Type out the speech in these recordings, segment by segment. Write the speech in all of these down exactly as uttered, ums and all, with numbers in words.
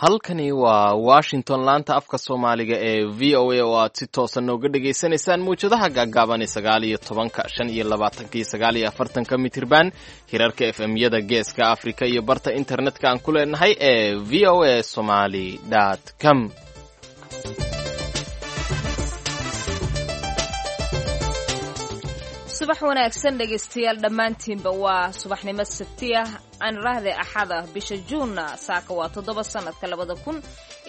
Halkani waa Washington, laanta afka Soomaaliga ee V O A, oo aad si toosan nooga dhagaysanaysaan mawjadaha gaagaaban ee sagaal iyo tobanka, shan iyo labaatanka iyo sagaal iyo afartanka mitirban, hirarka F M yada Geeska Afrika iyo barta internetka aan ku leenahay ee V O A Somali com. Subax wanaagsan, dhegaystayaal dhammaantiinba. Waa subaxnimo Sabti ah, aan raahday Axada, bisha Juunna saaka waa toddoba, sanadka labada kun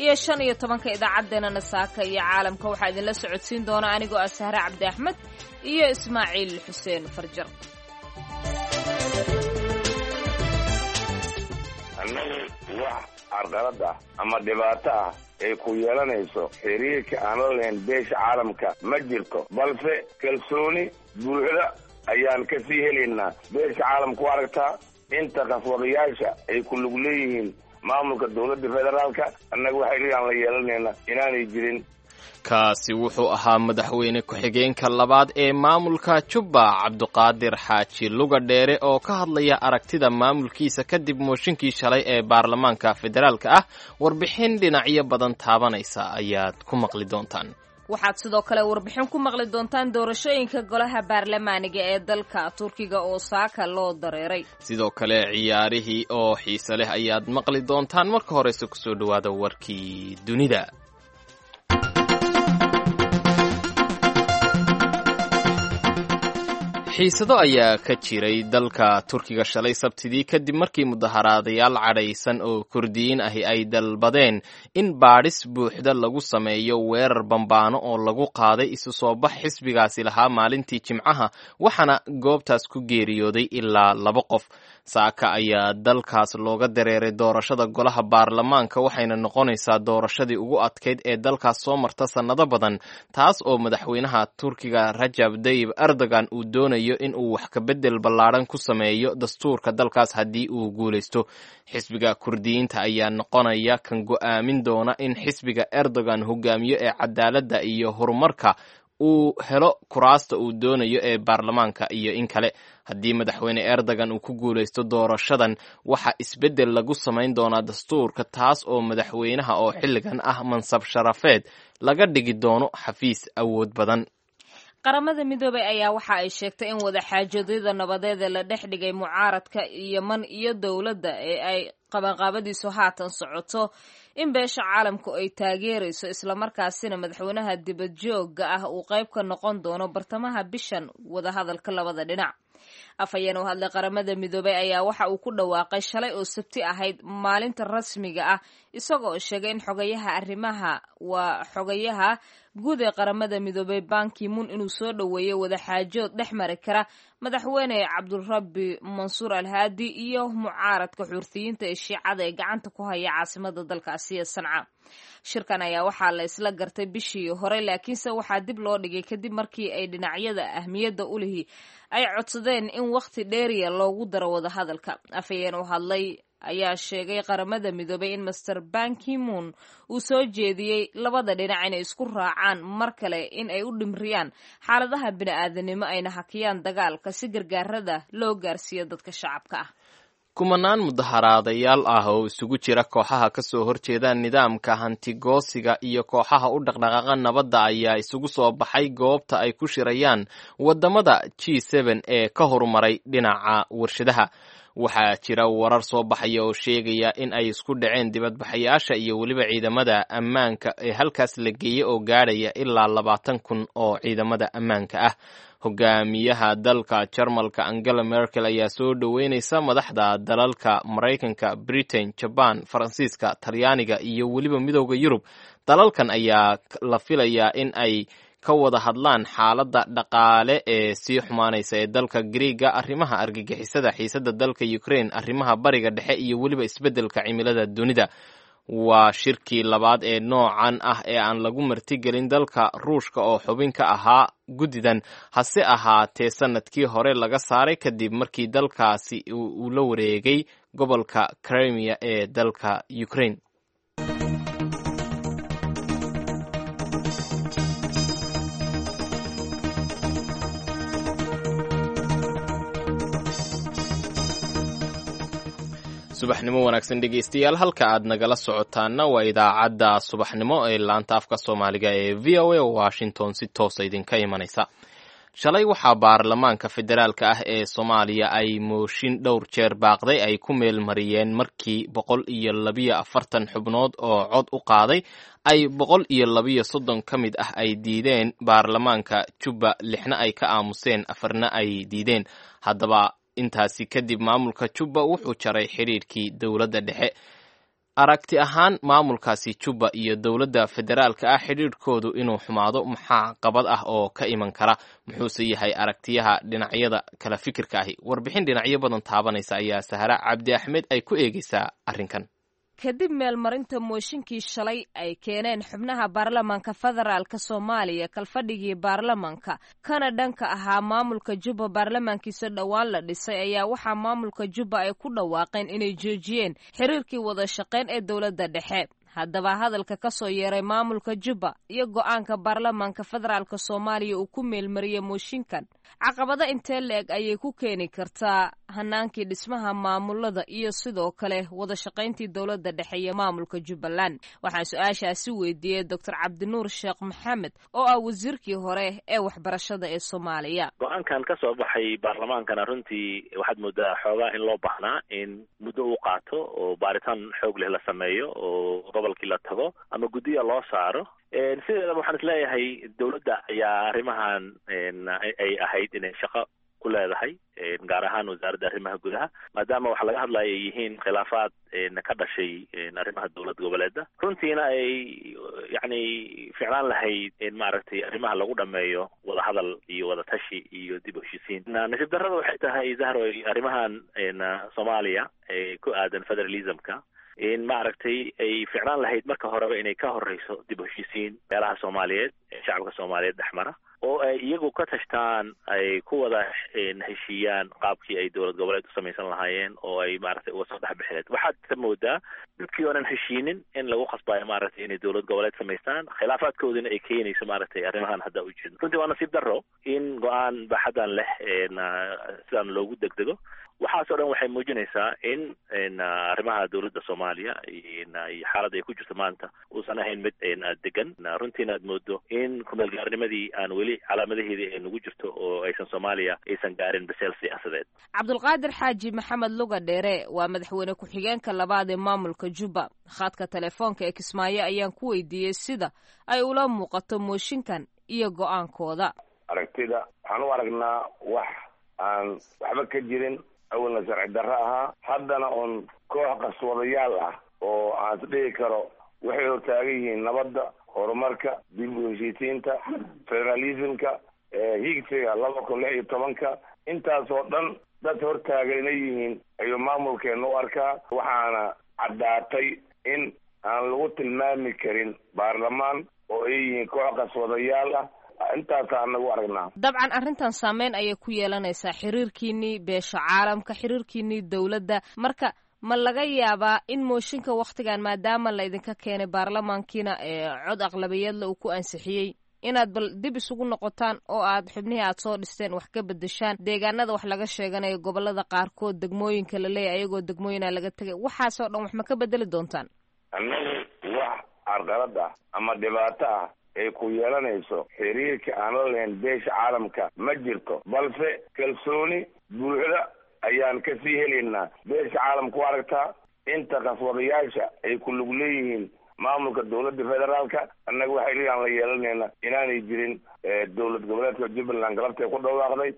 iyo shan iyo tobanka. Idaacaddeenana saaka iyo caalamka waxaa idinla socodsiin doona anigoo ah Sahre Cabdi Axmed iyo Ismaaciil Xuseen Farjar. Annagu wax carqalad ah ama dhibaato ah ay ku yeelanayso xiriirka aan la lahayn beesha caalamka ma jirto, balse kalsooni buuxda ayaan ka sii helaynaa. Beesha caalamku aragtaa inta qaswadayaasha ay ku lug leeyihiin maamulka dowladda federaalka, annaga wax xiriir aan la yeelanayna inaanay jirin. Kaasi wuxuu ahaa madaxweyne ku-xigeenka labaad ee maamulka Jubba, Cabduqaadir Xaaji Luga Dheere, oo ka hadlaya aragtida maamulkiisa kadib mooshinkii shalay ee baarlamaanka federaalka ah. Warbixin dhinacyo badan taabanaysa ayaad ku maqli doontaan. Waxaad sidoo kale warbixin ku maqli doontaan doorashooyinka golaha baarlamaaniga ee dalka Turkiga oo saaka loo dareeray. Sidoo kale ciyaarihii oo xiise leh ayaad maqli doontaan. Marka horeyse kusoo dhowaada warkii dunida. Xiisado ayaa ka jiray dalka Turkiga shalay Sabtidii, kadib markii mudaharaadayaal cadhaysan oo Kurdiyiin ahi ay dalbadeen in baadhis buuxda lagu sameeyo weerar bambaano oo lagu qaaday isu soo bax xisbigaasi lahaa maalintii Jimcaha, waxaana goobtaas ku geeriyooday ilaa laba qof. Saaka ayaa dalkaas looga dareeray doorashada golaha baarlamaanka, waxayna noqonaysaa doorashadii ugu adkayd ee dalkaas soo marta sannado badan, taas oo madaxweynaha Turkiga Rajab Dayib Erdogan uu doonayo in uu wax ka bedel ballaadhan ku sameeyo dastuurka dalkaas haddii uu guulaysto. Xisbiga Kurdiyiinta ayaa noqonaya kan go'aamin doona in xisbiga Erdogan hogaamiyo ee Cadaaladda iyo Horumarka uu helo kuraasta uu doonayo ee baarlamaanka iyo in kale. Haddii madaxweyne Erdogan uu ku guulaysto doorashadan, waxaa isbeddel lagu samayn doonaa dastuurka, taas oo madaxweynaha oo xilligan ah mansab sharafeed laga dhigi doono xafiis awood badan. Qaramada Midoobay ayaa waxa ay sheegtay in wadaxaajoedyada nabadeed ee la dhex dhigay mucaaradka Yeman iyo dowladda ee ay qabanqaabadiisu haatan socoto in beesha caalamku ay taageerayso, islamarkaasina madaxweynaha dibadjoogga ah uu qayb ka noqon doono bartamaha bishan wadahadalka labada dhinac. Afhayeen u hadlay Qaramada Midoobay ayaa waxa uu ku dhawaaqay shalay oo Sabti ahayd maalinta rasmiga ah, isagoo sheegay in xogayaha arrimaha, waa xogayaha guud ee Qaramada Midoobay, Ban Ki-moon, inuu soo dhoweeyey wadaxaajood dhex mari kara madaxweyne Cabdurabi Mansuur Alhaadi iyo mucaaradka Xuurtiyiinta ee Shiicada ee gacanta ku haya caasimada dalkaasi ee Sanca. Shirkan ayaa waxaa la isla gartay bishii hore, laakiinse waxaa dib loo dhigay kadib markii ay dhinacyada ahmiyadda u lihi ay codsadeen in wakhti dheeriya loogu daro wadahadalka. Afhayeen u hadlay ayaa sheegay Qaramada Midoobay in Master Ban Ki-moon uu soo jeediyey labada dhinac inay isku raacaan mar kale in ay u dhimriyaan xaaladaha bini'aadanimo, ayna hakiyaan dagaalka si gargaarada loo gaarsiiyo dadka shacabka ah. Kumanaan mudaharaadayaal ah oo isugu jira kooxaha ka soo horjeeda nidaamka hantigoosiga iyo kooxaha u dhaqdhaqaaqa nabadda ayaa isugu soo baxay goobta ay ku shirayaan wadamada G seven ee ka horumaray dhinaca warshadaha. Waxaa jira warar soo baxaya oo sheegaya in ay isku dhaceen dibadbaxayaasha iyo weliba ciidamada ammaanka ee halkaas la geeyey oo gaadhaya ilaa labaatan kun oo ciidamada ammaanka ah. Hogaamiyaha dalka Jarmalka Angela Merkel ayaa soo dhoweynaysa madaxda dalalka Maraykanka, Britain, Jaban, Faransiiska, Talyaaniga iyo weliba Midooda Yurub. Dalalkan ayaa la filayaa in ay ka wada hadlaan xaaladda dhaqaale ee sii xumaanaysa ee dalka Griiga, arrimaha argagixisada, xiisadda dalka Ukraine, arrimaha Bariga Dhexe iyo weliba isbeddelka cimilada dunida. Waa shirkii labaad ee noocan ah ee aan lagu martigelin dalka Ruushka oo xubin ka ahaa guddidan, hase ahaatee sanadkii hore laga saaray kadib markii dalkaasi uu la wareegay gobolka Crimea ee dalka Ukraine. Subaxnimo wanaagsan dhegeystayaal, halka aad nagala socotaana waa idaacadda subaxnimo ee laanta afka Soomaaliga ee V O A, Washington si toosa idinka imanaysa. Shalay waxaa baarlamaanka federaalka ah ee Soomaaliya ay mooshin dhowr jeer baaqday ay ku meelmariyeen markii boqol iyo labiyo afartan xubnood oo cod u qaaday ay boqol iyo labiyo soddon ka mid ah ay diideen baarlamaanka Jubba, lixna ay ka aamuseen, afarna ay diideen. Haddaba intaasi kadib maamulka Jubba wuxuu jaray xidhiidhkii dowladda dhexe. Aragti ahaan, maamulkaasi Jubba iyo dowladda federaalka ah xidhiidhkoodu inuu xumaado maxaa qabad ah oo ka iman kara? Muxuuse yahay aragtiyaha dhinacyada kala fikirka ahi? Warbixin dhinacyo badan taabanaysa ayaa Sahra Cabdi Axmed ay ku eegeysaa arrinkan. Kadib meelmarinta mooshinkii shalay ay keeneen xubnaha baarlamaanka federaalka Soomaaliya kalfadhigii baarlamaanka kana dhanka ahaa maamulka Jubba baarlamaankiisa dhowaan la dhisay, ayaa waxaa maamulka Jubba ay ku dhawaaqeen inay joojiyeen xiriirkii wada shaqayn ee dowladda dhexe. Haddaba hadalka ka soo yeeray maamulka Jubba iyo go'aanka baarlamaanka federaalka Soomaaliya uu ku meelmariyey mooshinkan, caqabado intee la-eg ayay ku keeni kartaa hanaankii dhismaha maamulada iyo sidoo kale wada shaqayntii dowladda dhexe iyo maamulka Jubbaland? Waxaan su-aashaasi weydiiyey Doctor Cabdinuur Sheekh Maxamed oo ah wasiirkii hore ee waxbarashada ee Soomaaliya. Go'aankan ka soo baxay baarlamaankana runtii waxaad moodaa xoogaa in loo baahnaa in muddo uu qaato oo baaritaan xoog leh la sameeyo oo gobolkii la tago ama guddiya loo saaro. Sideedaba waxaan isleeyahay dowladda ayaa arrimahan ay ahayd inay shaqo ku leedahay, gaar ahaan wasaaradda arrimaha gudaha, maadaama waxa laga hadlaya ay yihiin khilaafaad ka dhashay arrimaha dowlad goboleeda. Runtiina ay yacni ficlaan lahayd in maaragtay arrimaha lagu dhameeyo wadahadal iyo wadatashi iyo dib u heshiisiin. Nasiib darrada waxay tahay, Zahroy, arrimahan Soomaaliya ee ku aadan federalismka in maaragtay ay ficlaan lahayd marka horeba inay ka horeyso dib u heshiisiin beelaha Soomaaliyeed ee shacabka Soomaaliyeed dhexmara oo ay iyagu ka tashtaan, ay ku wada heshiiyaan qaabkii ay dowlad goboleed u samaysan lahaayeen oo ay maaragtay uga soo dhex bixileed. Waxaad ka moodaa dadkii oonan heshiinin in lagu khasbayo maaragtay inay dowlad goboleed samaystaan, khilaafaadkoodina ay keenayso maaragtay arrimahan hadda u jeedno. Runtii waa nasiib darro in go'aan baaxadan leh sidaan loogu degdego. Waxaas oo dhan waxay muujinaysaa in arrimaha dowladda Soomaaliya iyo xaaladda ay ku jirto maanta uusan ahayn mid degan. Runtiina aad moodo in kumeelgaarnimadii aan weli calaamadaheedii ay nagu jirto oo aysan Soomaaliya aysan gaarin biseel siyaasadeed. Cabdulqaadir Xaaji Maxamed Luga Dheere waa madaxweyne ku-xigeenka labaad ee maamulka Jubba. Khadka telefoonka ee Kismaayo ayaan ku weydiiyey sida ay ula muuqato mooshinkan iyo go'aankooda. Aragtida waxaan u aragnaa wax aan waxba ka jirin, awalna sharci darro ahaa, haddana uun koox qaswadayaal ah oo aan isdhihi karo waxay hortaagan yihiin nabadda, horumarka, dib u heshiisiinta, federalismka, higsiga laba kun lix iyo tobanka. Intaasoo dhan dad hortaagan inay yihiin ayuu maamulkeena u arkaa. Waxaana caddaatay in aan lagu tilmaami karin baarlamaan oo ay yihiin koox qaswadayaal ah. Intaasaa anagu aragnaa. Dabcan arrintan saameyn ayay ku yeelanaysaa xiriirkiinii beesha caalamka, xiriirkiinii dowladda. Marka ma laga yaabaa in mooshinka wakhtigan, maadaama laydinka keenay baarlamaankiina ee cod aqlabiyeedla uu ku ansixiyey, inaad bal dib isugu noqotaan oo aad xubnihii aad soo dhisteen wax ka bedeshaan, deegaanada wax laga sheeganayo, gobolada qaarkood degmooyinka la leeyahy ayagoo degmooyina laga tegay, waxaasoo dhan wax ma ka bedeli doontaan? Annagu wax carqalad ah ama dhibaato ah ay ku yeelanayso xiriirka aan la lahayn beesha caalamka ma jirto, balse kalsooni buuxda ayaan kasii helaynaa. Beesha caalamka u aragtaa inta qaswadayaasha ay ku lug leeyihiin maamulka dowladda federaalka, annaga waxa xiriir aan la yeelanayna inaanay jirin. Dowlad goboleedka Jubbaland galabtay ku dhawaaqday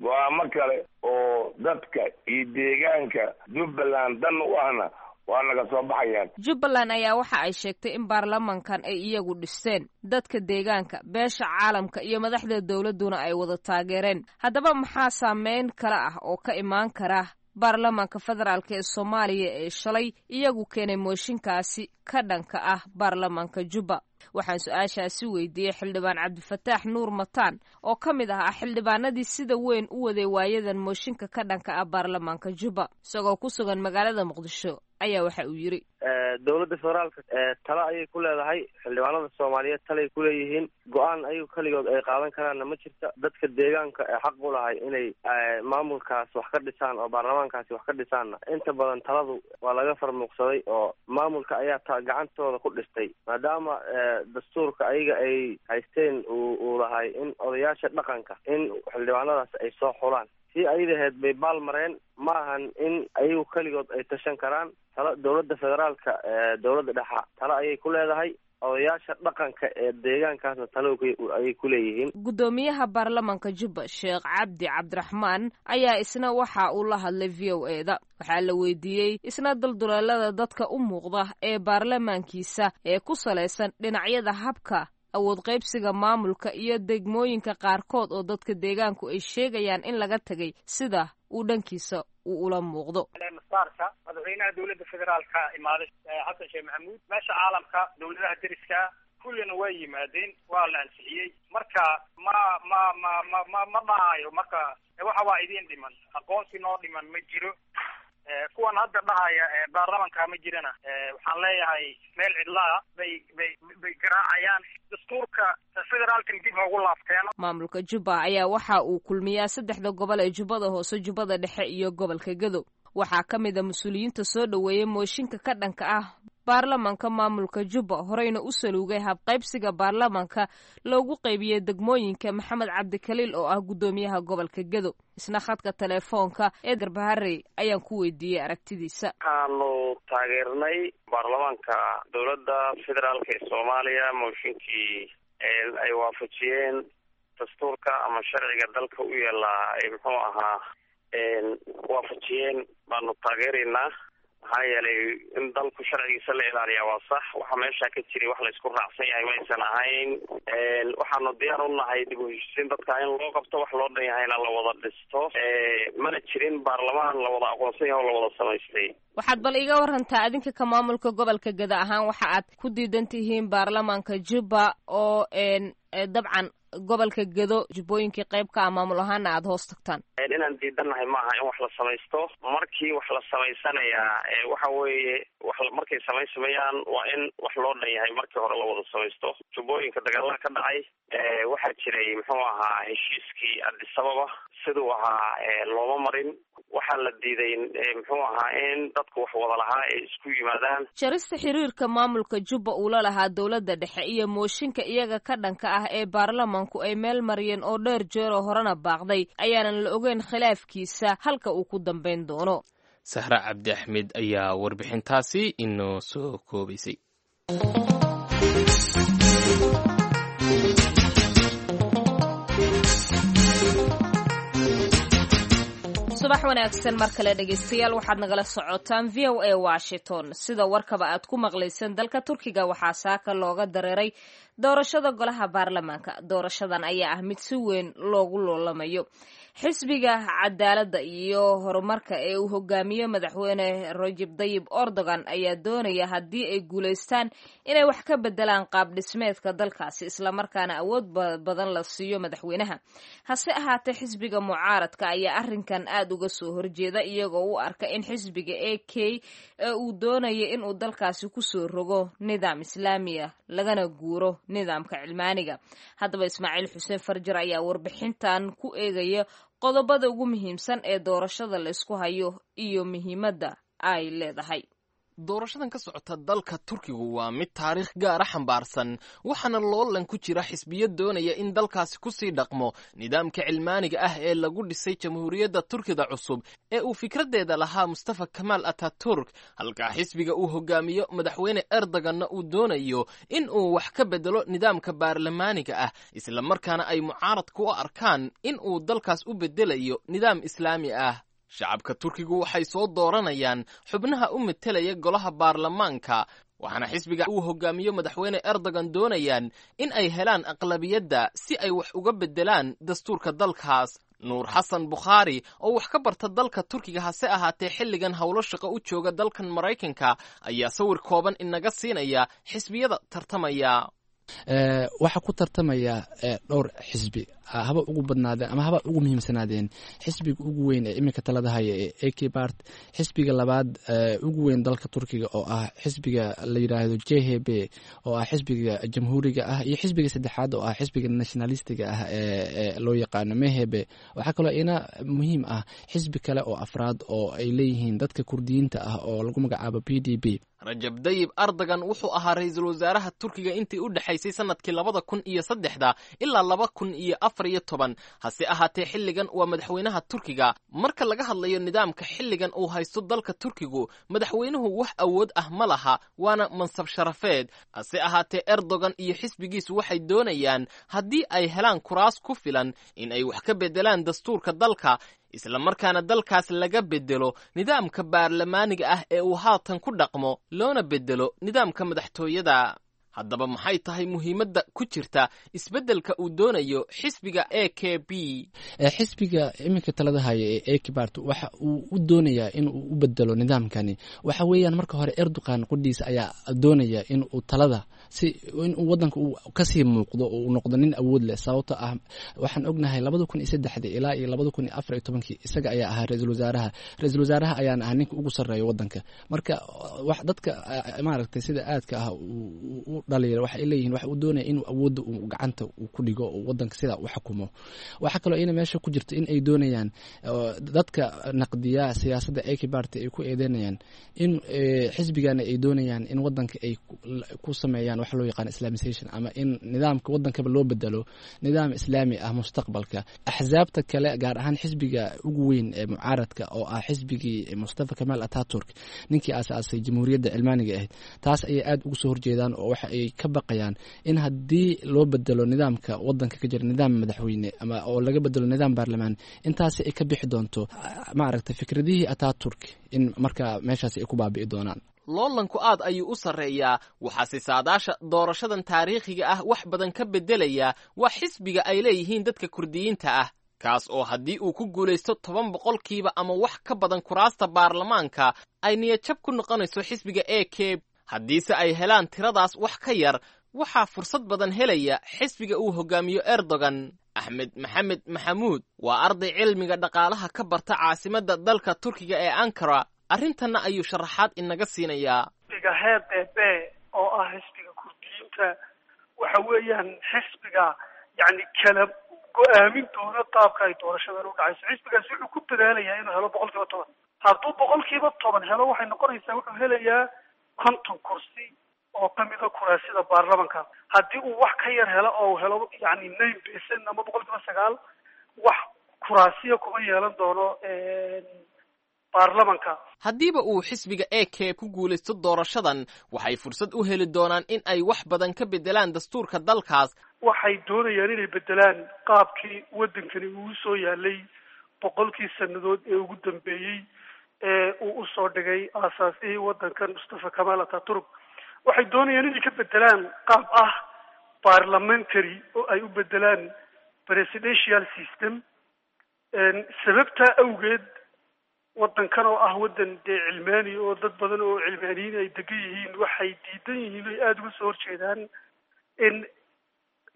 go'aamo kale oo dadka iyo deegaanka Jubbaland dan u ahna waa naga soo baxayaan. Jubbaland ayaa waxa ay sheegtay in baarlamankan ay iyagu dhisteen, dadka deegaanka, beesha caalamka iyo madaxda dowladduna ay wada taageereen. Haddaba maxaa saameyn kale ah oo ka imaan kara baarlamaanka federaalk ee Soomaaliya ee shalay iyagu keenay mooshinkaasi ka dhanka ah baarlamaanka Jubba? Waxaan su-aashaasi weydiiyey xildhibaan Cabdifataax Nuur Mataan oo ka mid ahaa xildhibaanadii sida weyn u waday waayadan mooshinka ka dhanka ah baarlamaanka Jubba. Isagoo ku sugan magaalada Muqdisho ayaa waxa uu yidhi: Dowladda federaalka talo ayay ku leedahay, xildhibaanada soomaaliyeed talay kuleeyihiin, go-aan ayagu keligood ay qaadan karaanna ma jirta. Dadka deegaanka ee xaq u lahay inay maamulkaas wax ka dhisaan oo baarlamaankaasi wax ka dhisaanna inta badan taladu waa laga farmuuqsaday oo maamulka ayaa ta gacantooda ku dhistay, maadaama dastuurka ayaga ay haysteen uu uu lahay in odayaasha dhaqanka in xildhibaanadaas ay soo xulaan. Si ayadaheed bay baal mareen, ma ahan in ayagu keligood ay tashan karaan. Talo dowladda federaalka, dowladda dhexa talo ayay ku leedahay, odayaasha dhaqanka ee deegaankaasna talo ayay ku leeyihiin. Guddoomiyaha baarlamanka Jubba Sheekh Cabdi Cabdiraxmaan ayaa isna waxa uu la hadlay V O E da. Waxaa la weydiiyey isna dulduleelada dadka u muuqda ee baarlamaankiisa ee ku salaysan dhinacyada habka awood qaybsiga maamulka iyo degmooyinka qaarkood oo dadka deegaanku ay sheegayaan in laga tegay, sida uu dhankiisa uu ula muuqdo. Masaarka madaxweynaha dowladda federaalka imaaday Xasan Sheekh Maxamuud, meesha caalamka dowladaha deriska kullina way yimaadeen, waa la ansixiyey. Marka ma ma ma ma ma ma dhahayo marka waxa waa idiin dhiman, aqoonsi noo dhiman ma jiro. Kuwan hadda dhahaya baarlamanka ma jirana, waxaan leeyahay meel cidlaa bay bay bay garaacayaan. Dastuurka federaalkan dib ugu laabteen. Maamulka Jubba ayaa waxa uu kulmiyaa saddexda gobol ee Jubbada Hoose, Jubbada Dhexe iyo gobolka Gedo. Waxaa ka mid a mas-uuliyiinta soo dhoweeyey mooshinka ka dhanka ah baarlamanka maamulka Jubba, horeyna u saluugay habqaybsiga baarlamanka loogu qaybiyey degmooyinka, Maxamed Cabdikaliil oo ah guddoomiyaha gobolka Gedo. Isna khadka telefoonka ee Garbaharey ayaan ku weydiiyey aragtidiisa. Waxaanu taageernay baarlamaanka dowladda federaalka ee Soomaaliya mooshinkii ay waafajiyeen dastuurka ama sharciga dalka u yeelaa ay muxuu ahaa waafajiyeen baanu taageeraynaa. Maxaa yeelay in dalku sharcigiisa la ilaaliyaa waa sax. Waxa meesha ka jiray wax laysku raacsan yahay maysan ahayn. Waxaanu diyaar u nahay dib u heshiisiin dadka in loo qabto, wax loo dhan yahayna la wada dhisto. Mana jirin baarlamaan la wada aqoonsan yahay oo la wada samaystay. Waxaad bal iga warantaa adinka ka maamulka gobolka Gada ahaan waxa aad ku diidan tihiin baarlamaanka Jubba oo dabcan gobolka Gedo jubbooyinkii qayb ka ah maamul ahaana aada hoos tagtaan. Inaan diidannahay maaha in wax la samaysto. Markii wax la samaysanayaa waxa weeye wax markay samaysamayaan waa in wax loo dhan yahay markii hore la wada samaysto. Jubbooyinka dagaalada ka dhacay waxaa jiray muxuu ahaa heshiiskii Addis Ababa siduu ahaa looma marin. Waxaa la diiday muxuu ahaa in dadku wax wada lahaa ay isku yimaadaan. Jarista xiriirka maamulka Jubba uula lahaa dowladda dhexe iyo mooshinka iyaga ka dhanka ah ee baarlamanku ay meel mariyeen oo dheer jeeroo horena baaqday ayaanan la ogeyn khilaafkiisa halka uu ku dambayn doono. Sahra Cabdi Axmed ayaa warbixintaasi inoo soo koobaysay. Subax wanaagsan mar kale dhegaystayaal, waxaad nagala socotaan V O A Washington. Sida warkaba aad ku maqlayseen, dalka Turkiga waxaa saaka looga dareeray doorashada golaha baarlamaanka. Doorashadan ayaa ah mid si weyn loogu loolamayo. Xisbiga Cadaaladda iyo Horumarka ee uu hogaamiyo madaxweyne Rajab Dayib Erdogan ayaa doonaya haddii ay guulaystaan inay wax ka bedelaan qaab dhismeedka dalkaasi, islamarkaana awood badan la siiyo madaxweynaha. Hase ahaatee xisbiga mucaaradka ayaa arrinkan aad uga soo horjeeda, iyagoo u arka in xisbiga A K ee uu doonaya inuu dalkaasi kusoo rogo nidaam islaamiya lagana guuro nidaamka cilmaaniga. Haddaba Ismaaciil Xuseen Farjar ayaa warbixintan ku eegaya qodobada ugu muhiimsan ee doorashada la isku hayo iyo muhiimadda ay leedahay. Doorashadan ka socota dalka Turkigu waa mid taariikh gaara xambaarsan, waxaana loolan ku jira xisbiyo doonaya in dalkaasi kusii dhaqmo nidaamka cilmaaniga ah ee lagu dhisay jamhuuriyadda Turkida cusub ee uu fikraddeeda lahaa Mustafa Kamaal Ataturk, halka xisbiga uu hogaamiyo madaxweyne Erdoganna uu doonayo in uu wax ka bedelo nidaamka baarlamaaniga ah, islamarkaana ay mucaaradku u arkaan in uu dalkaas u bedelayo nidaam islaami ah. Shacabka Turkigu waxay soo dooranayaan xubnaha u metelaya golaha baarlamaanka, waxaana xisbiga uu hogaamiyo madaxweyne Erdogan doonayaan in ay helaan aqlabiyadda si ay wax uga beddelaan dastuurka dalkaas. Nuur Xasan Bukhaari oo wax ka barta dalka Turkiga hase ahaatee xilligan howlo shaqo u jooga dalkan Maraykanka ayaa sawir kooban inaga siinaya xisbiyada tartamaya. Waxaa ku tartamaya dhowr xisbi. Haba ugu badnaadeen ama haba ugu muhiimsanaadeen xisbiga ugu weyn ee iminka talada haya ee A K Bart, xisbiga labaad ugu weyn dalka Turkiga oo ah xisbiga la yidhaahdo J H B oo ah xisbiga jamhuuriga ah, iyo xisbiga saddexaad oo ah xisbiga nationalistiga ah ee loo yaqaano M H P. Waxaa kaloo ina muhiim ah xisbi kale oo afraad oo ay leeyihiin dadka Kurdiyiinta ah oo lagu magacaabo P D B. Rajab Dayib Erdogan wuxuu ahaa ra-iisul wasaaraha Turkiga intii u dhexaysay sanadkii labada kun iyo saddexda ilaa laba kun iyo afar iyo toban. Hase ahaatee xilligan waa madaxweynaha Turkiga. Marka laga hadlayo nidaamka xilligan uu haysto dalka Turkigu, madaxweynuhu wax awood ah ma laha, waana mansab sharafeed. Hase ahaatee Erdogan iyo xisbigiisu waxay doonayaan haddii ay helaan kuraas ku filan in ay wax ka beddelaan dastuurka dalka, isla markaana dalkaas laga beddelo nidaamka baarlamaaniga ah ee uu haatan ku dhaqmo, loona beddelo nidaamka madaxtooyada. Haddaba maxay tahay muhiimadda ku jirta isbeddelka uu doonayo xisbiga A K B? Xisbiga iminka talada haya ee A K Bart waxa uu u doonayaa in uu u bedelo nidaamkani. Waxa weeyaan marka hore Erdogan qudhiisa ayaa doonaya in uu talada si in uu wadanka uu kasii muuqdo oo uu noqdo nin awood leh, sababto ah waxaan ognahay labada kun iyo saddexdii ilaa iyo labada kun iyo afar iyo tobankii isaga ayaa ahaa ra-iisul wasaaraha. Ra-iisul wasaaraha ayaana ahaa ninka ugu sarreeya wadanka. Marka wax dadka maaragtay sida aadka ah u dhaliila waxay leeyihiin waxa uu doonaya inuu awoodda uu gacanta uu ku dhigo oo wadanka sidaa u xukumo. Waxaa kaloo ina meesha ku jirta in ay doonayaan dadka naqdiya siyaasadda A K Party ay ku eedeynayaan in xisbigana ay doonayaan in wadanka ay ku sameeyaan waxa loo yaqaan islamization, ama in nidaamka wadankaba loo bedelo nidaam islaami ah mustaqbalka. Axsaabta kale, gaar ahaan xisbiga ugu weyn ee mucaaradka oo ah xisbigii Mustafa Kamaal Ataturk, ninkii aasaasay jamhuuriyadda cilmaaniga ahayd, taas ayay aada ugu soo horjeedaan oo waxa ay ka baqayaan in haddii loo bedelo nidaamka wadanka ka jira nidaam madaxweyne ama oo laga bedelo nidaam baarlamaan, intaasi ay ka bixi doonto maaragtay fikradihii Ataturk in markaa meeshaasi ay ku baabi'i doonaan. Loolanku aad ayuu u sarreeyaa, waxaase saadaasha doorashadan taariikhiga ah wax badan ka beddelaya waa xisbiga ay leeyihiin dadka Kurdiyiinta ah, kaas oo haddii uu ku guulaysto toban boqolkiiba ama wax ka badan kuraasta baarlamaanka ay niyadjab ku noqonayso xisbiga A K. Haddiise ay helaan tiradaas wax ka yar, waxaa fursad badan helaya xisbiga uu hogaamiyo Erdogan. Axmed Maxamed Maxamuud waa arday cilmiga dhaqaalaha ka barta caasimadda dalka Turkiga ee Ankara. Arrintanna ayuu sharaxaad inaga siinayaa. Xisbiga H D B oo ah xisbiga Kurdiyiinta waxa weeyaan xisbiga yacni kala go-aamin doona qaabka ay doorashadan u dhacayso. Xisbigaasi wuxuu ku dadaalayaa inuu helo boqol kiiba toban. Hadduu boqol kiiba toban helo, waxay noqonaysaa wuxuu helayaa konton kursi oo kamida kuraasida baarlamanka. Haddii uu wax ka yar helo oo helo yacni nine percent ama boqol kiiba sagaal, wax kuraasiya kuma yeelan doono baarlamanka. Haddiiba uu xisbiga A K ku guulaysto doorashadan, waxay fursad u heli doonaan in ay wax badan ka beddelaan dastuurka dalkaas. Waxay doonayaan inay beddelaan qaabkii waddankani uu soo yaalay boqolkii sannadood ee ugu dambeeyey ee uu usoo dhigay aasaasihii waddankan Mustafa Kamaal Ataturk. Waxay doonayaan inay ka beddelaan qaab ah parliamentary oo ay u beddelaan presidential system. Sababtaa awgeed waddankan oo ah waddan dee cilmaani oo dad badan oo cilmaaniyiin ay degan yihiin, waxay diidan yihiin oy aada uga soo horjeedaan in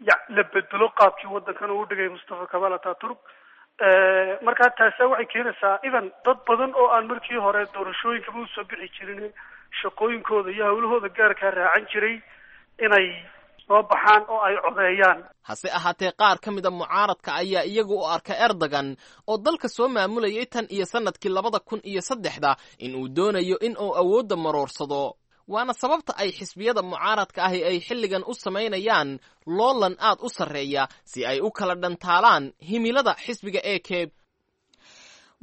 ya la bedelo qaabkii waddankan uu dhigay Mustafa Kamaal Ataturk. Markaa taasa waxay keenaysaa even dad badan oo aan markii hore doorashooyinkaba usoo bixi jirin, shaqooyinkooda iyo hawlahooda gaarkaa raacan jiray, inay soo baxaan oo ay codeeyaan. Hase ahaatee qaar ka mida mucaaradka ayaa iyagu u arka Erdogan oo dalka soo maamulayay tan iyo sannadkii labada kun iyo saddexda in uu doonayo in uu awoodda maroorsado, waana sababta ay xisbiyada mucaaradka ahi ay xilligan u samaynayaan loolan aad u sarreeya si ay u kala dhantaalaan himilada xisbiga A K.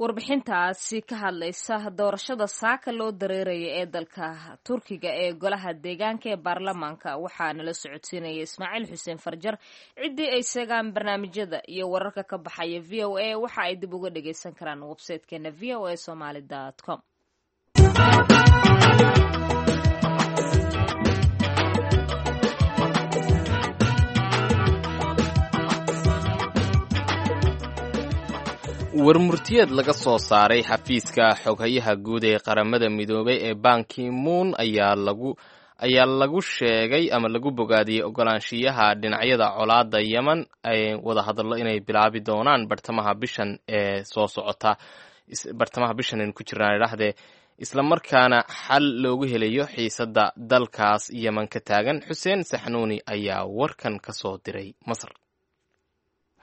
Warbixintaasi ka hadlaysa doorashada saaka loo dareeraya ee dalka Turkiga ee golaha deegaanka ee baarlamaanka waxaa nala socodsiinaya Ismaaciil Xuseen Farjar. Ciddii ay seegaan barnaamijyada iyo wararka ka baxaya V O A waxa ay dib uga dhageysan karaan website-keena v o a somaly dot com. Warmurtiyeed laga soo saaray xafiiska xoghayaha guud ee Qaramada Midoobay ee Banki Moon ayaa lagu ayaa lagu sheegay ama lagu bogaadiyey ogolaanshiyaha dhinacyada colaadda yemen ay wadahadallo inay bilaabi doonaan bartamaha bishan ee soo socota, bartamaha bishan aynu ku jirnaan idhahdee, islamarkaana xal loogu helayo xiisadda dalkaas yemen ka taagan. Xuseen Saxnuuni ayaa warkan ka soo diray Masar.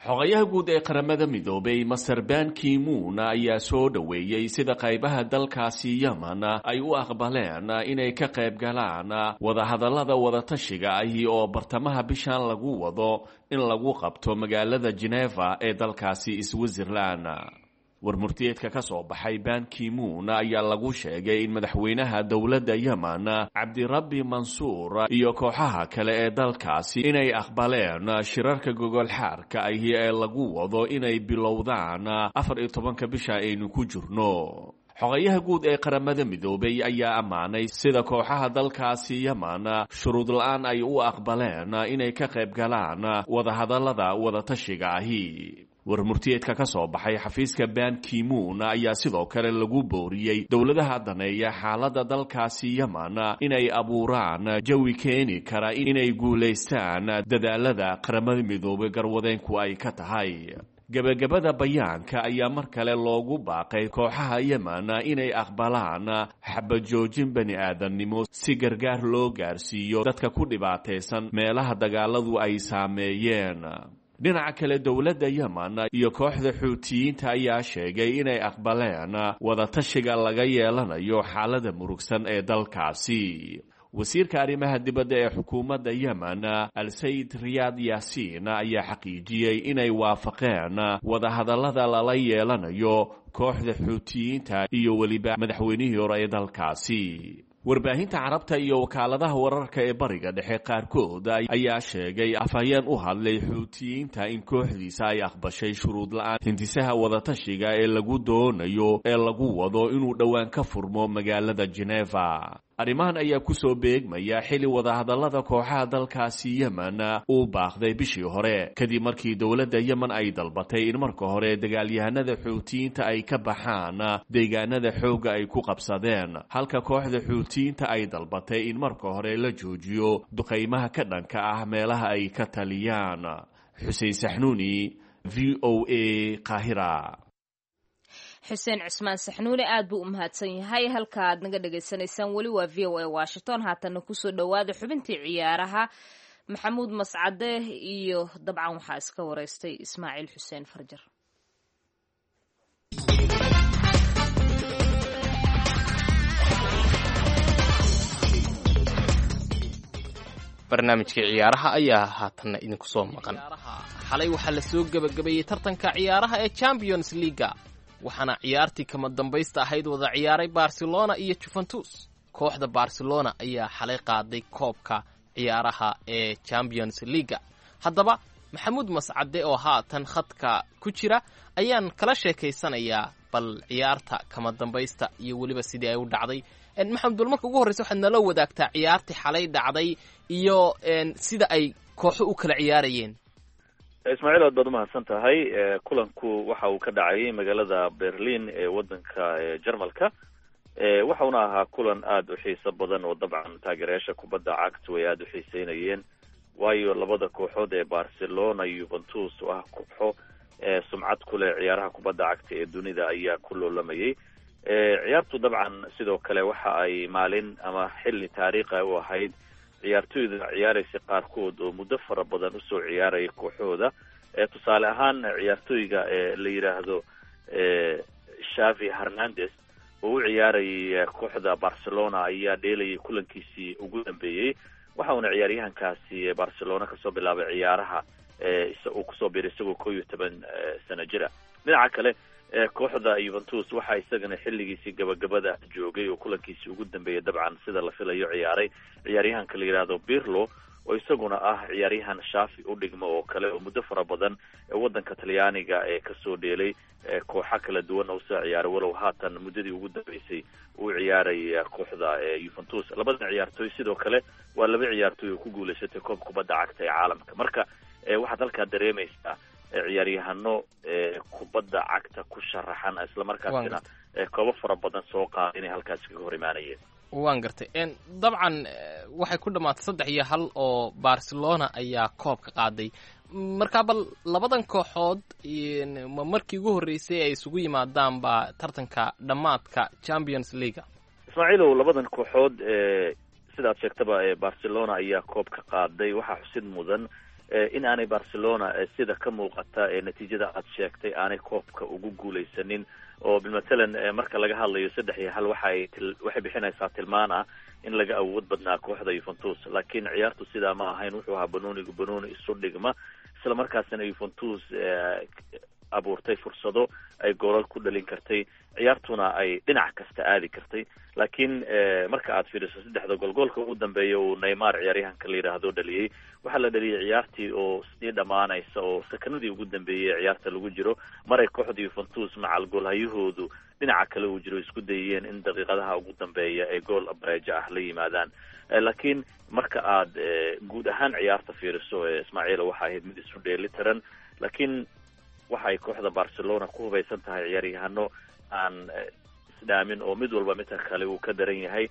Xogayaha guud ee Qaramada Midoobay Master Ban Ki-moon ayaa soo dhoweeyey sida qaybaha dalkaasi Yemen ay u aqbaleen inay ka qayb galaan wadahadallada wadatashiga ahi oo bartamaha bishan lagu wado in lagu qabto magaalada Geneva ee dalkaasi Switzerland. Warmurtiyeedka ka soo baxay Ban Ki-moon ayaa lagu sheegay in madaxweynaha dowladda Yemen Cabdirabbi Mansuur iyo kooxaha kale ee dalkaasi inay aqbaleen shirarka gogolxaarka ahi ee lagu wado inay bilowdaan afar iyo tobanka bisha aynu ku jirno. Xogayaha guud ee Qaramada Midoobay ayaa ammaanay sida kooxaha dalkaasi Yemen shuruud la-aan ay u aqbaleen inay ka qayb galaan wadahadallada wadatashiga ahi. Warmurtiyeedka ka soo baxay xafiiska Ban Ki-moon ayaa sidoo kale lagu booriyey dowladaha daneeya xaaladda dalkaasi Yemen inay abuuraan jawi keeni kara inay guulaystaan dadaalada Qaramada Midoobay garwadeenku ay ka tahay. Gebagabada bayaanka ayaa mar kale loogu baaqay kooxaha Yemen inay aqbalaan xabajoojin bani aadamnimo si gargaar loo gaarsiiyo dadka ku dhibaataysan meelaha dagaaladu ay saameeyeen. Dhinaca kale, dowladda Yemen iyo kooxda Xuutiyiinta ayaa sheegay inay aqbaleen wadatashiga laga yeelanayo xaalada murugsan ee dalkaasi. Wasiirka arrimaha dibadda ee xukuumadda Yemen Al-Sayid Riyaad Yaasiin ayaa xaqiijiyey inay waafaqeen wadahadallada lala yeelanayo kooxda Xuutiyiinta iyo weliba madaxweynihii hore ee dalkaasi. Warbaahinta Carabta iyo wakaaladaha wararka ee Bariga Dhexe qaarkood ayaa sheegay afhayeen u hadlay Xuutiyiinta in kooxdiisa ay aqbashay shuruud la-aan hindisaha wadatashiga ee lagu doonayo ee lagu wado inuu dhowaan ka furmo magaalada Geneva. Arrimahan ayaa kusoo beegmaya xili wadahadallada kooxaha dalkaasi Yemen uu baaqday bishii hore kadib markii dowladda Yemen ay dalbatay in marka hore dagaalyahanada Xuutiyiinta ay ka baxaan deegaanada xoogga ay ku qabsadeen, halka kooxda Xuutiyiinta ay dalbatay in marka hore la joojiyo duqaymaha ka dhanka ah meelaha ay ka taliyaan. Xuseen Saxnuuni, V O A, Qaahira. Xuseen Cusmaan Saxnuuni aad buu u mahadsan yahay. Halka aad naga dhagaysanaysaan weli waa V O A Washington. Haatanna kusoo dhowaada xubintii ciyaaraha, Maxamuud Mascade iyo dabcan waxaa iska wareystay Ismaaciil Xuseen Farjar. Barnaamijkii ciyaaraha ayaa haatanna idinku soo maqan. Xalay waxaa la soo gebagabeeyey tartanka ciyaaraha ee Champions Leaga, waxaana ciyaartii kama dambaysta ahayd wada ciyaaray Barcelona iyo Juventus. Kooxda Barcelona ayaa xalay qaaday koobka ciyaaraha ee Champions Leaga. Haddaba Maxamuud Mascade oo haatan khadka ku jira ayaan kala sheekaysanayaa bal ciyaarta kama dambaysta iyo weliba sidii ay u dhacday. Maxamud, bal marka ugu horreysa waxaad nala wadaagtaa ciyaartii xalay dhacday iyo sida ay kooxo u kala ciyaarayeen. Ismaaciil, aad baad umahadsan tahay. Kulanku waxa uu ka dhacay magaalada Berlin ee wadanka Jarmalka, waxauna ahaa kulan aada u xiiso badan oo dabcan taageerayaasha kubadda cagtu ay aada u xiiseynayeen, waayo labada kooxood ee Barcelona iyo Juventus oo ah kooxo sumcad ku leh ciyaaraha kubadda cagta ee dunida ayaa ku loolamayay. Ciyaartu dabcan sidoo kale waxa ay maalin ama xilli taariikha u ahayd ciyaartoyda ciyaaraysa qaarkood oo muddo fara badan usoo ciyaaraya kooxooda. Tusaale ahaan ciyaartoyga la yidhaahdo Xavi Hernandez oo u ciyaarayay kooxda Barcelona ayaa dheelayay kulankiisii ugu dambeeyey, waxa uuna ciyaaryahankaasi Barcelona kasoo bilaabay ciyaaraha uu kusoo biiray isagoo koo iyo toban sano jira. Dhinaca kale kooxda Juventus waxaa isagana xilligiisii gabagabada joogay oo kulankiisii ugu dambeeyay dabcan sida la filayo ciyaaray ciyaaryahanka la yidhaahdo Pirlo, oo isaguna ah ciyaaryahan Xavi u dhigmo oo kale oo muddo fara badan wadanka Talyaaniga ee kasoo dheelay kooxo kala duwan oo usoo ciyaaray, walow haatan muddadii ugu dambeysay uu ciyaaray kooxda Juventus. Labadan ciyaartooy sidoo kale waa laba ciyaartooy oo ku guulaysatay koob kubadda cagta ee caalamka. Marka waxaad halkaa dareemaysaa ciyaaryahano kubadda cagta ku sharaxan islamarkaasina koobo fara badan soo qaada inay halkaasi kaga hor imaanayeen. Waan gartay. Dabcan waxay ku dhamaatay saddex iyo hal oo Barcelona ayaa koobka qaaday. Markaa bal labadan kooxood ma markii ugu horreysay ay isugu yimaadaan ba tartanka dhammaadka Champions League? Ismaaciilow, labadan kooxood sidaad sheegtaba Barcelona ayaa koobka qaaday. Waxaa xusid mudan in aanay Barcelona sida ka muuqata natiijada aad sheegtay aanay koobka ugu guuleysanin, oo matalan marka laga hadlayo saddex iyo hal waxay waxay bixinaysaa tilmaan ah in laga awood badnaa kooxda Juventus, laakiin ciyaartu sidaa ma ahayn. Wuxuu ahaa banoonigu banooni isu dhigma, isla markaasina Juventus abuurtay fursado ay goolal ku dhalin kartay, ciyaartuna ay dhinac kasta aadi kartay. Laakiin marka aad fiiriso saddexda gool, goolka ugu dambeeya uu Neymar ciyaaryahanka la yidhaahdo dhaliyey, waxaa la dhaliyay ciyaartii oo sii dhammaanaysa oo sakanadii ugu dambeeyey ee ciyaarta lagu jiro, maray kooxda Juventus macal goolhayahoodu dhinaca kale uu jiro isku dayeen in daqiiqadaha ugu dambeeya ay gool bareejo ah la yimaadaan. Laakiin marka aad guud ahaan ciyaarta fiiriso, Ismaaciil, waxa ahayd mid isu dheeli tiran, laakiin waxay kooxda Barcelona ku hubaysan tahay ciyaaryahano aan isdhaamin oo mid walba midka kale uu ka daran yahay,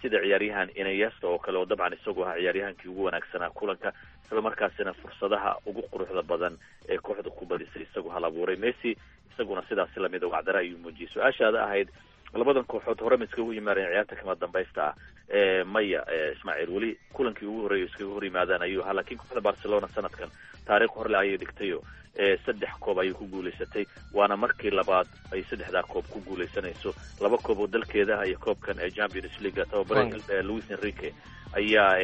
sida ciyaaryahan Iniesta oo kale oo dabcan isagu ahaa ciyaaryahankii ugu wanaagsanaa kulanka, isla markaasina fursadaha ugu quruxda badan ee kooxda ku badisay isagu hal abuuray. Messi isaguna sidaasi lamid wacdara ayuu muujiyey. Su-aashaada ahayd labadan kooxood hore ma iskagu yimaadeen ciyaarta kama dambaysta ah? Maya Ismaaciil, weli kulankii ugu horreeyay iskaga hor yimaadaan ayuu ahaa, laakiin kooxda Barcelona sanadkan taariikh horle ayay dhigtayo, saddex koob ayay ku guulaysatay, waana markii labaad ay saddexdaa koob ku guulaysanayso, laba koob oo dalkeeda ah iyo koobkan ee Champions League. Tababare Luis Enrique ayaa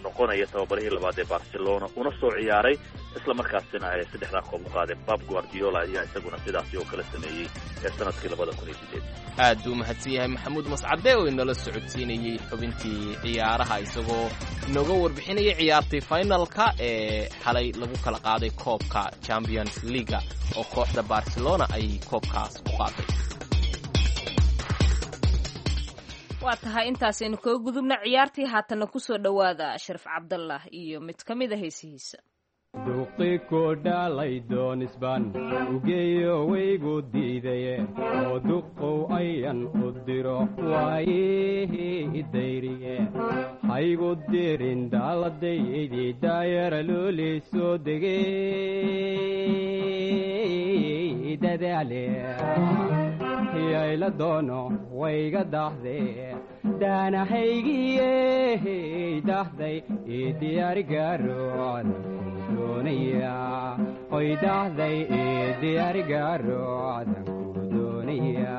noqonaya tababarihii labaad ee Barcelona una soo ciyaaray, isla markaasina saddexdaa koob u qaaday. Pep Guardiola ayaa isaguna sidaasi oo kala sameeyey ee sanadkii labada kun iyo sideed. Aad buu mahadsan yahay Maxamuud Mascade oo inala socodsiinayey xubintii ciyaaraha, isagoo inooga warbixinayay ciyaartii finalka ee xalay lagu kala qaaday koobka Champions League oo kooxda Barcelona ay koobkaas ku qaaday. Waa tahay, intaasaynu kaga gudubna ciyaartii. Haatanna kusoo dhowaada Sharif Cabdallah iyo mid ka mid a heesihiisa. Duqi ku dhalay doonisban ugeeyo waygu diidaye, oo duqow ayan u diro waayihii idayriye, haygu dirin daaladaydii daayara looli soo degey dadaale yayla doono wayga dahde daanahaygiye dahday ii diyaarigaroon doonaya, oy dahday ii diyaarigaroodan ku doonaya.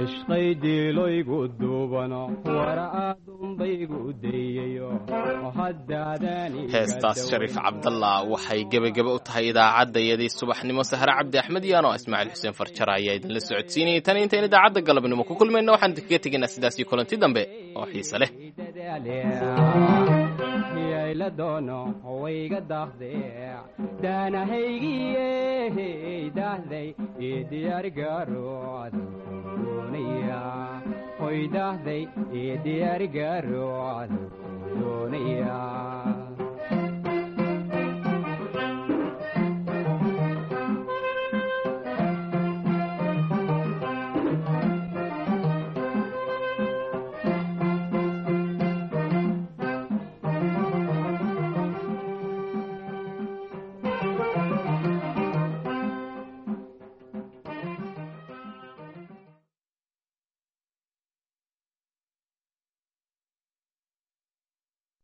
Cishqaydiiloygu duubano wara aadunbaygu dayayo. Heestaas Shariif Cabdallah waxay gebageba u tahay idaacadayadii subaxnimo. Sahre Cabdi Axmed iyo anoo Ismaaciil Xuseen Farjara ayaa idinla socodsiinayay. Tan intayn idaacadda galabnimo ku kulmayno, waxaan idinkaga tegaynaa sidaas iyo kulanti dambe oo xiise leh. Yayla doono wayga dahde daanahaygiye dahday ii diyaarigaroodan doonaya, hoy dahday ii diyaarigaroodan doonaya.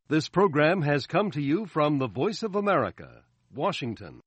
This program has come to you from the Voice of America, Washington.